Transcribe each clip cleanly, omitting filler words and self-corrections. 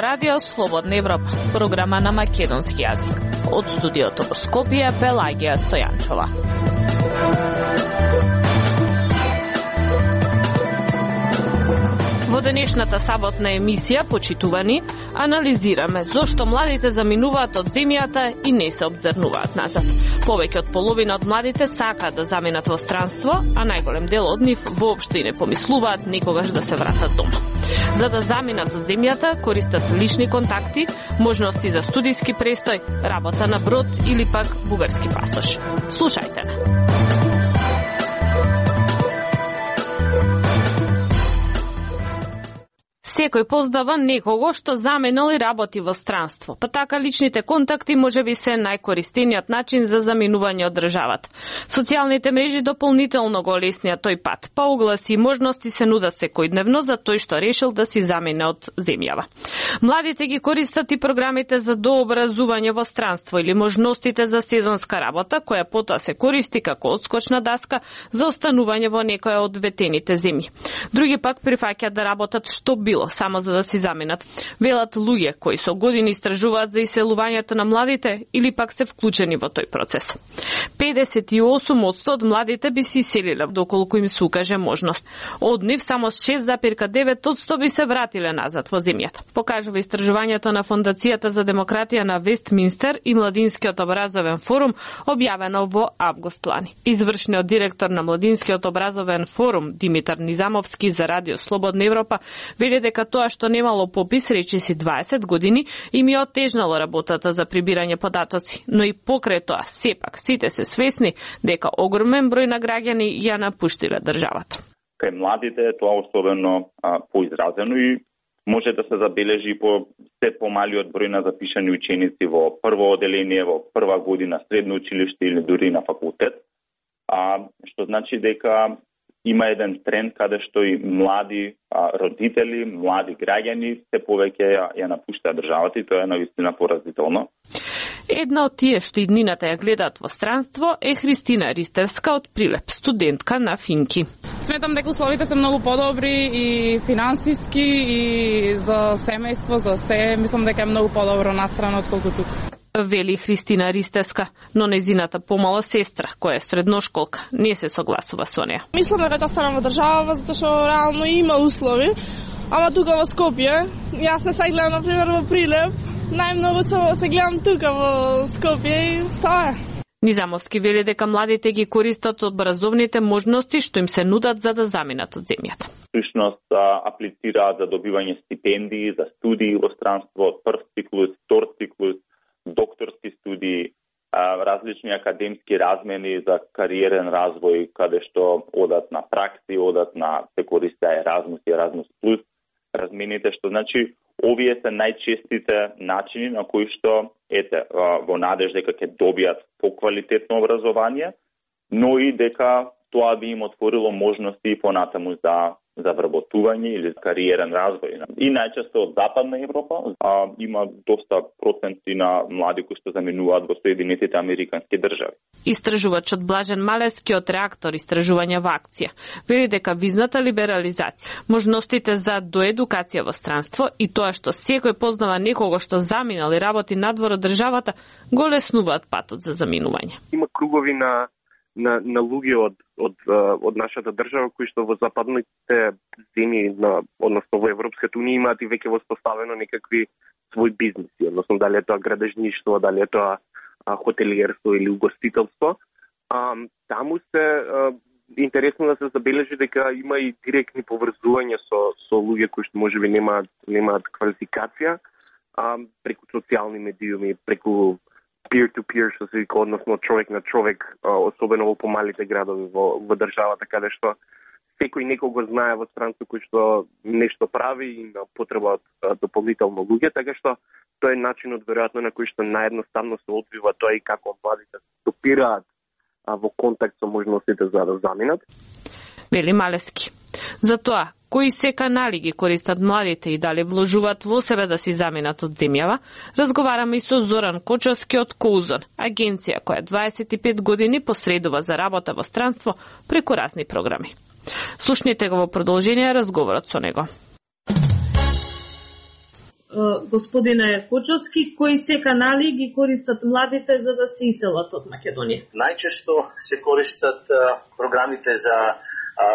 Ова радио Слободна Европа, програма на македонски јазик. Од студиото во Скопје, Пелагија Стојанчова. Во денешната саботна емисија, почитувани, анализираме зошто младите заминуваат од земјата и не се обзрнуваат назад. Повеќе од половина од младите сакаат да заминат во странство, а најголем дел од нив воопшто и не помислуваат никогаш да се вратат дома. За да заминат од земјата, користат лични контакти, можности за студиски престој, работа на брод или пак бугарски пасош. Слушајте на. Секој познава некого што заминал и работи во странство, па така личните контакти можеби се најкористениот начин за заминување од државата. Социјалните мрежи дополнително го олеснија тој пат, па огласи и можности се нудат секојдневно за тој што решил да си замине од земјава. Младите ги користат и програмите за дообразување во странство или можностите за сезонска работа, која потоа се користи како одскочна даска за останување во некоја од ветените земји. Други пак прифаќаат да работат што било само за да си заминат. Велат луѓе кои со години истражуваат за иселувањето на младите или пак се вклучени во тој процес. 58% од младите би се иселиле доколку им се укаже можност. Од нив само 6,9% би се вратиле назад во земјата. Покажува истражувањето на Фондацијата за демократија на Вестминстер и Младинскиот образовен форум, објавено во август лани. Извршниот директор на Младинскиот образовен форум Димитар Низамовски за Радио Слободна Европа вели дека тоа што немало попис, речиси 20 години, им ја отежнало работата за прибирање податоци, но и покрај тоа, сепак, сите се свесни дека огромен број на граѓани ја напуштиле државата. Кај младите е тоа особено поизразено и може да се забележи по се помалиот број на запишани ученици во прво оделение, во прва година средно училиште или дури на факултет, што значи дека има еден тренд каде што и млади родители, млади граѓани се повеќе ја напуштаат државата и тоа е навистина поразително. Една од тие што иднината ја гледаат во странство е Христина Ристевска од Прилеп, студентка на Финки. Сметам дека условите се многу подобри и финансиски и за семејство, за се, мислам дека е многу подобро настрана отколку тука. Вели Христина Ристевска, но незината помала сестра, која е средношколка, не се согласува со неа. Мислам дека ќе останам во држава, затоа што реално има услови, ама тука во Скопје, јас не се гледам, например, во Прилеп, најмногу се гледам тука во Скопје и тоа е. Низамовски вели дека младите ги користат образовните можности што им се нудат за да заминат од земјата. Всушност аплицираат за добивање стипендии, за студии во странство, прв циклус, втор циклус, докторски студии, различни академски размени за кариерен развој, каде што одат на пракси, одат на се користи Еразмус и Еразмус плюс размените, што значи овие се најчестите начини на кои што во надеж дека ќе добијат поквалитетно образование, но и дека тоа би им отворило можности и понатаму за вработување или кариерен развој. И најчесто од Западна Европа има доста проценти на млади кои што заминуваат во Соединетите Американски држави. Истражувачот Блажен Малески од реактор Истражување во акција вели дека визната либерализација, можностите за доедукација во странство и тоа што секој познава некого што заминал и работи надвор од државата, го леснуваат патот за заминување. Има кругови на луѓе од нашата држава кои што во западните земји, односно во Европската унија имаат и веќе воспоставено некакви свој бизнеси, односно дали е тоа градежништво, дали е тоа хотелиерство или угостителство. Таму се интересно да се забележи дека има и директни поврзувања со луѓе кои што можеби немаат квалификација, преку социјални медиуми, преку peer-to-peer, што се вика, односно човек на човек, особено во помалите градови во државата, каде што секој некого знае во странство кој што нешто прави и има потреба од дополнително луѓе, така што тоа е начинот веројатно на кој што наједноставно се одвива тоа и како младите стопираат во контакт со можностите за да заминат. Вели Малески. Затоа, кои се канали ги користат младите и дали вложуваат во себе да си заминат од земјава, разговараме и со Зоран Кочовски од Коузон, агенција која 25 години посредува за работа во странство преку разни програми. Слушнете го во продолжение разговорот со него. господине Кочовски, кои се канали ги користат младите за да се иселат од Македонија? Најчесто се користат програмите за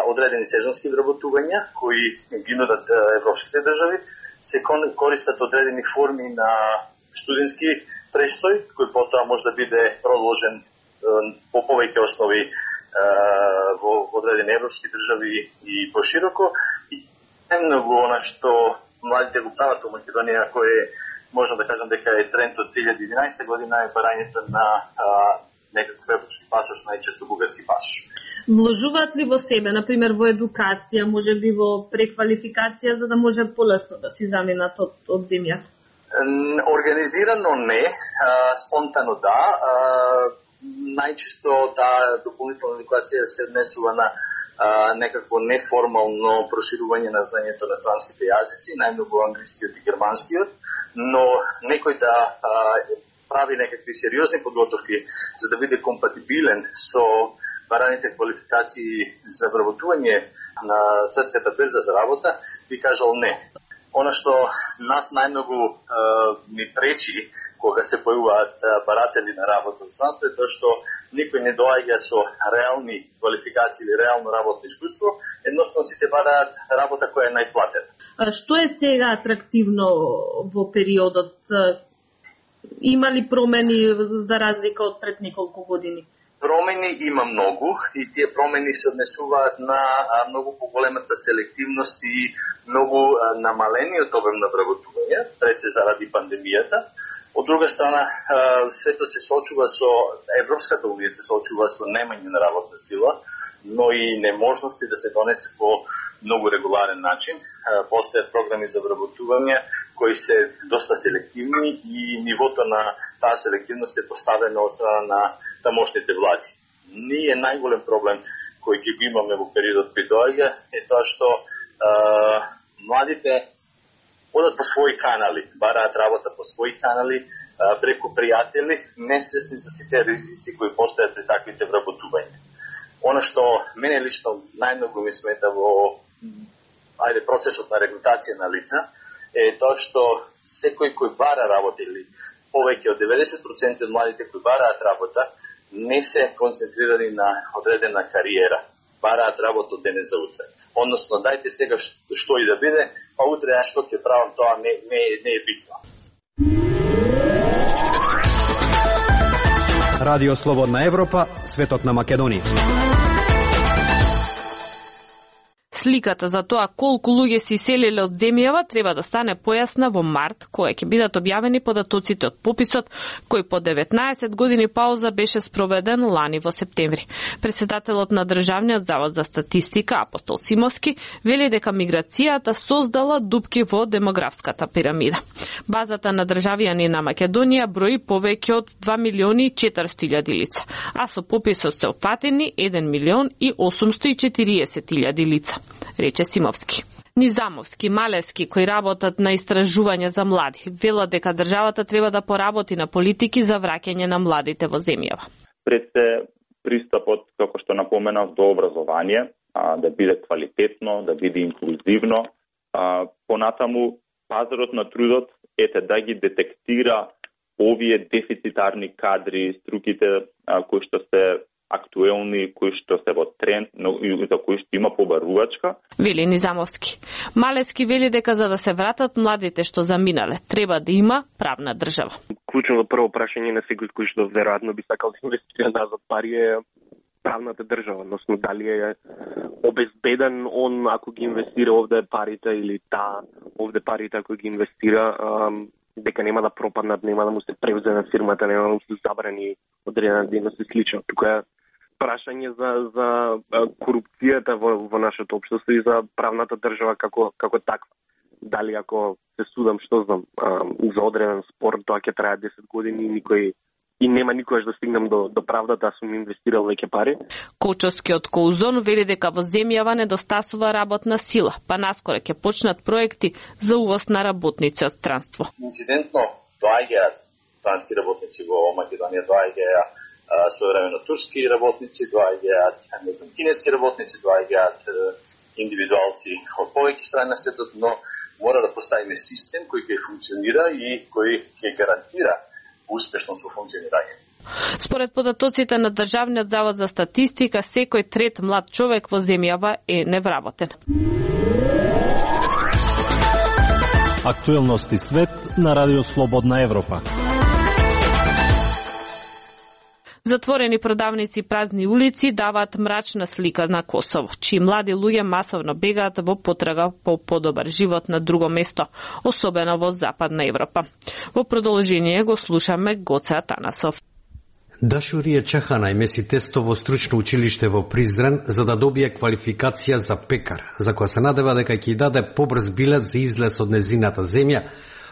одредени сезонски вработувања кои ги нудат европските држави, се користат одредени форми на студентски престој, кој потоа може да биде продолжен по повеќе основи во одредени европски држави и пошироко. И најмногу она што младите го прават во Македонија, кој можам да кажам дека е тренд од 2011 година, е барањето на некаков европски пасош, најчесто бугарски пасош. Вложуваат ли во себе, например во едукација, може би во преквалификација, за да може полесно да си заминат од земјата? Организирано не, спонтано да. Најчесто таа дополнителна едукација се однесува на некакво неформално проширување на знаењето на странските јазици, најмногу англискиот и германскиот, но некој да прави некакви сериозни подготовки за да биде компатибилен со бараните квалификации за вработување на светската берза за работа, би кажал не. Она што нас најмногу ни пречи кога се појавуваат баратели на работа во странство е тоа што никој не доаѓа со реални квалификации или реално работно искуство, едноставно сите бараат работа која е најплатена. Што е сега атрактивно во периодот? Има ли промени за разлика од пред неколку години? Промени има многу и тие промени се однесуваат на многу поголемата селективност и многу намалениот обем на вработување, пред се заради пандемијата. Од друга страна, светот се соочува со, Европската унија се соочува со немање на работна сила, но и неможности да се донесе по многу регуларен начин. Постојат програми за вработување кои се доста селективни и нивото на таа селективност е поставено од страна на тамошните влади. Ние најголем проблем кој ги имаме во периодот кој доаѓа е тоа што младите одат по своји канали, бараат работа по своји канали, преку пријатели, несвесни за сите ризици кои постојат при таквите вработувања. Она што мене лично најмногу ми смета во процесот на регрутација на лица е тоа што секој кој бара работа или повеќе од 90% од младите кои бараат работа не се концентрирани на одредена кариера. Бараат работа од денес за утре. Односно, дајте сега што и да биде, па утре што ќе правам, тоа не е битно. Радио Слободна Европа, светот на Македонија. Сликата за тоа колку луѓе се иселиле од земјава треба да стане појасна во март, кога ќе бидат објавени податоците од пописот, кој по 19 години пауза беше спроведен лани во септември. Претседателот на Државниот завод за статистика Апостол Симовски вели дека миграцијата создала дупки во демографската пирамида. Базата на државјани на Македонија брои повеќе од 2.400.000 лица, а со пописот се опфатени 1.840.000 лица, рече Симовски. Низамовски, Малевски, кои работат на истражување за млади, велат дека државата треба да поработи на политики за враќање на младите во земјава. Пред се пристапот, како што напоменав, до образование, да биде квалитетно, да биде инклузивно. Понатаму, пазарот на трудот да ги детектира овие дефицитарни кадри, струките кои што се актуелни, кои што се во тренд, но и за кои што има побарувачка. Вели Низамовски. Малевски вели дека за да се вратат младите што заминале, треба да има правна држава. Клучното прво прашање на секој кој што веројатно би сакал да инвестира назад пари е правната држава, односно дали е обезбеден он ако ги инвестира овде парите или овде парите ако ги инвестира дека нема да пропаднат, нема да му се превземе фирмата, нема да му се забрани одредена дейност и слично. Тука е прашање за корупцијата во нашето општество и за правната држава како таква. Дали ако се судам, што знам, за одреден спор, тоа ќе трае 10 години и нема никогаш да стигнам до правдата, сум инвестирал веќе пари. Кочовскиот Коузон вели дека во земјава недостасува работна сила, па наскоро ќе почнат проекти за увоз на работници од странство. Инцидентно доаѓаат странски работници во Македонија, доаѓаат своевремено турски работници, доаѓаат кинески работници, доаѓаат индивидуалци од повеќе страни на светот, но Мора да поставиме систем кој ќе функционира и кој ќе гарантира успешност во функционирање. Според податоците на Државниот завод за статистика, секој трет млад човек во земјава е невработен. Актуелности свет на Радио Слободна Европа. Затворени продавници и празни улици даваат мрачна слика на Косово, чии млади луѓе масовно бегаат во потрага по подобар живот на друго место, особено во Западна Европа. Во продолжение го слушаме Гоце Атанасов. Дашурија Чахана име си тесто во стручно училиште во Призрен за да добие квалификација за пекар, за која се надева дека ќе даде побрз билет за излез од незината земја,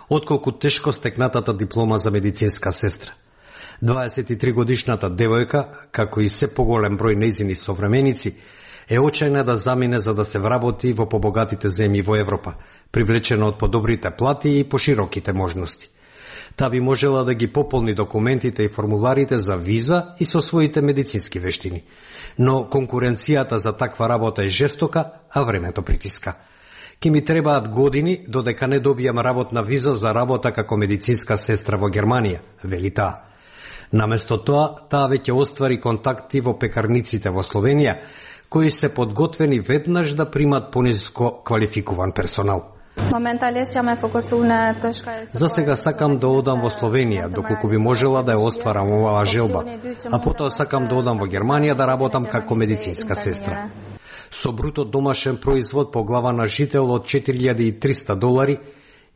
отколку тешко стекнатата диплома за медицинска сестра. 23 годишната девојка, како и се поголем број нејзини современици, е очајна да замине за да се вработи во побогатите земји во Европа, привлечена од подобрите плати и пошироките можности. Та би можела да ги пополни документите и формуларите за виза и со своите медицински вештини. Но конкуренцијата за таква работа е жестока, а времето притиска. Ке ми требаат години додека не добијам работна виза за работа како медицинска сестра во Германија, вели таа. Наместо тоа, таа веќе оствари контакти во пекарниците во Словенија, кои се подготвени веднаш да примат пониско квалификуван персонал. За сега сакам да одам во Словенија, доколку би можела да ја остварам оваа желба, а потоа сакам да одам во Германија да работам како медицинска сестра. Со бруто домашен производ по глава на жител од $4300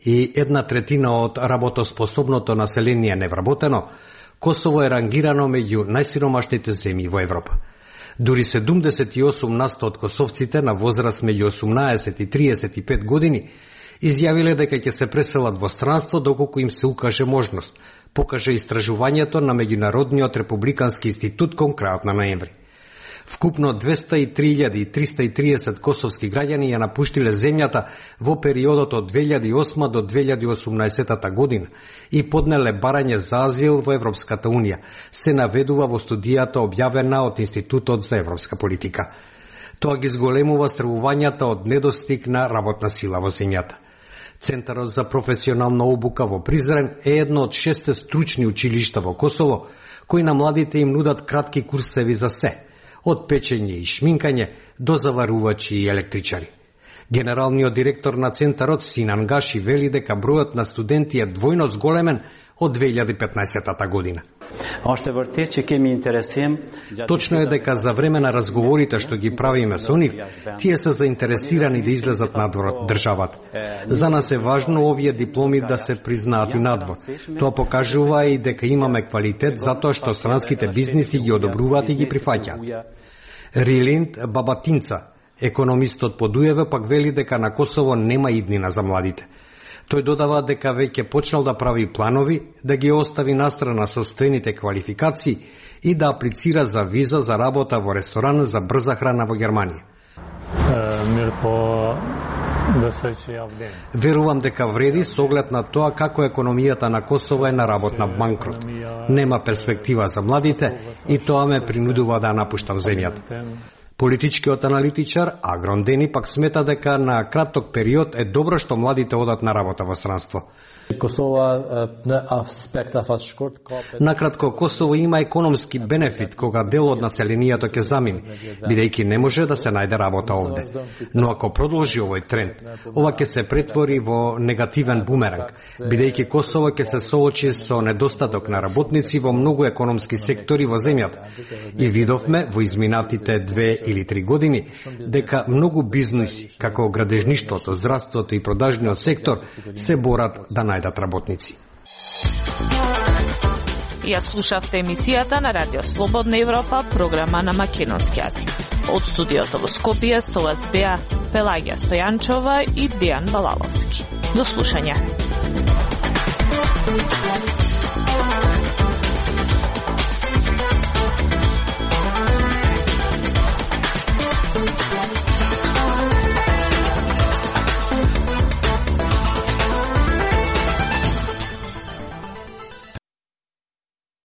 и 1/3 од работоспособното население невработено, Косово е рангирано меѓу најсиромашните земји во Европа. Дури 78% од косовците на возраст меѓу 18 и 35 години изјавиле дека ќе се преселат во странство доколку им се укаже можност, покаже истражувањето на Меѓународниот републикански институт кон крајот на ноември. Вкупно 203.330 косовски граѓани ја напуштиле земјата во периодот од 2008 до 2018 година и поднеле барање за азил во Европската Унија, се наведува во студијата објавена од Институтот за европска политика. Тоа ги зголемува стравувањата од недостиг на работна сила во земјата. Центарот за професионална обука во Призрен е едно од 6 стручни училишта во Косово, кои на младите им нудат кратки курсеви за се, од печење и шминкање до заварувачи и електричари. Генералниот директор на Центарот Синан Гаши вели дека бројот на студенти е двојно зголемен од 2015 година. Точно е дека за време на разговорите што ги правиме со нив, тие се заинтересирани да излезат надвор од државата. За нас е важно овие дипломи да се признаат и надвор. Тоа покажува и дека имаме квалитет затоа што странските бизниси ги одобруваат и ги прифаќаат. Рилинд Бабатинца, економистот по Дуеве, пак вели дека на Косово нема иднина за младите. Тој додава дека веќе почнал да прави планови, да ги остави настрана собствените квалификации и да аплицира за виза за работа во ресторан за брза храна во Германија. Верувам дека вреди со оглед на тоа како економијата на Косово е на работна банкрот. Нема перспектива за младите и тоа ме принудува да напуштам земјата. Политичкиот аналитичар Агрон Дени пак смета дека на краток период е добро што младите одат на работа во странство. Накратко, Косово има економски бенефит кога дел од населението ќе замине, бидејќи не може да се најде работа овде. Но ако продолжи овој тренд, ова ќе се претвори во негативен бумеранг, бидејќи Косово ќе се соочи со недостаток на работници во многу економски сектори во земјата. И видовме во изминатите 2 или 3 години дека многу бизниси, како градежништвото, здравството и продажниот сектор, се борат да најдат работници. Ја слушавте емисијата на Радио Слободна Европа, програма на македонски јазик. Од студиото во Скопје со вас беа Пелагија Стојанчова и Дејан Балаловски. До слушање.